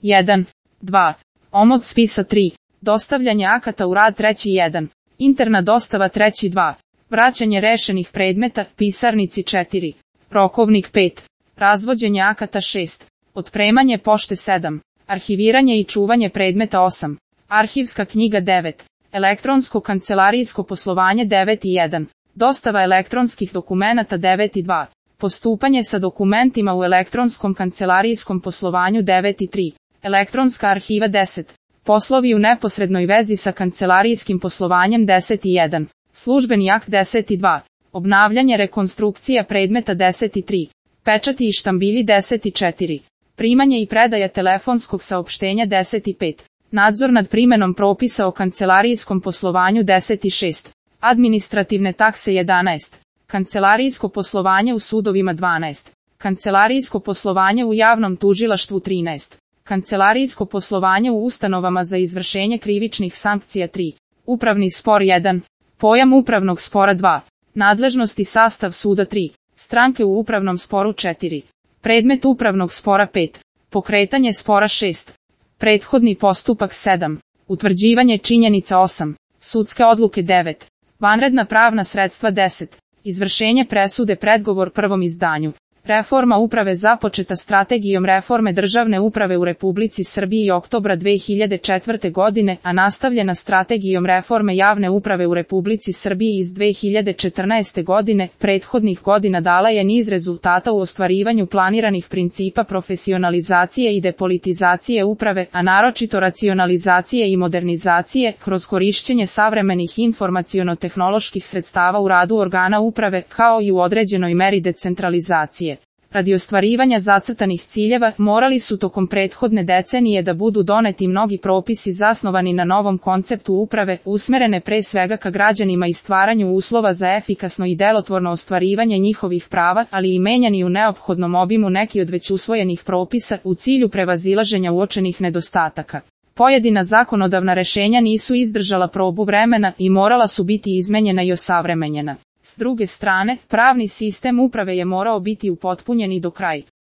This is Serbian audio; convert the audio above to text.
1. 2. Omot spisa 3. Dostavljanje akata u rad 3.1. Interna dostava 3.2. Vraćanje rešenih predmeta, pisarnici 4. Rokovnik 5. Razvođenje akata 6. Otpremanje pošte 7. Arhiviranje i čuvanje predmeta 8. Arhivska knjiga 9. Elektronsko kancelarijsko poslovanje 9.1. Dostava elektronskih dokumenata 9.2. Postupanje sa dokumentima u elektronskom kancelarijskom poslovanju 9.3. Elektronska arhiva 10. Poslovi u neposrednoj vezi sa kancelarijskim poslovanjem 10.1. Službeni akt 10.2. Obnavljanje rekonstrukcija predmeta 10.3. Pečati i štambilji 10.4. Primanje i predaja telefonskog saopštenja 10.5. Nadzor nad primenom propisa o kancelarijskom poslovanju 10.6. Administrativne takse 11. Kancelarijsko poslovanje u sudovima 12. Kancelarijsko poslovanje u javnom tužilaštvu 13. Kancelarijsko poslovanje u ustanovama za izvršenje krivičnih sankcija 3. Upravni spor 1. Pojam upravnog spora 2. Nadležnost i sastav suda 3. Stranke u upravnom sporu 4. Predmet upravnog spora 5. Pokretanje spora 6. Prethodni postupak 7. Utvrđivanje činjenica 8. Sudske odluke 9. Vanredna pravna sredstva 10. Izvršenje presude predgovor prvom izdanju. Reforma uprave započeta strategijom reforme državne uprave u Republici Srbiji oktobra 2004. godine, a nastavljena strategijom reforme javne uprave u Republici Srbiji iz 2014. godine, prethodnih godina dala je niz rezultata u ostvarivanju planiranih principa profesionalizacije i depolitizacije uprave, a naročito racionalizacije i modernizacije, kroz korišćenje savremenih informaciono-tehnoloških sredstava u radu organa uprave, kao i u određenoj meri decentralizacije. Radi ostvarivanja zacrtanih ciljeva, morali su tokom prethodne decenije da budu doneti mnogi propisi zasnovani na novom konceptu uprave, usmerene pre svega ka građanima i stvaranju uslova za efikasno i delotvorno ostvarivanje njihovih prava, ali i menjani u neophodnom obimu neki od već usvojenih propisa u cilju prevazilaženja uočenih nedostataka. Pojedina zakonodavna rešenja nisu izdržala probu vremena i morala su biti izmenjena i osavremenjena. S druge strane, pravni sistem uprave je morao biti upotpunjen i do kraja.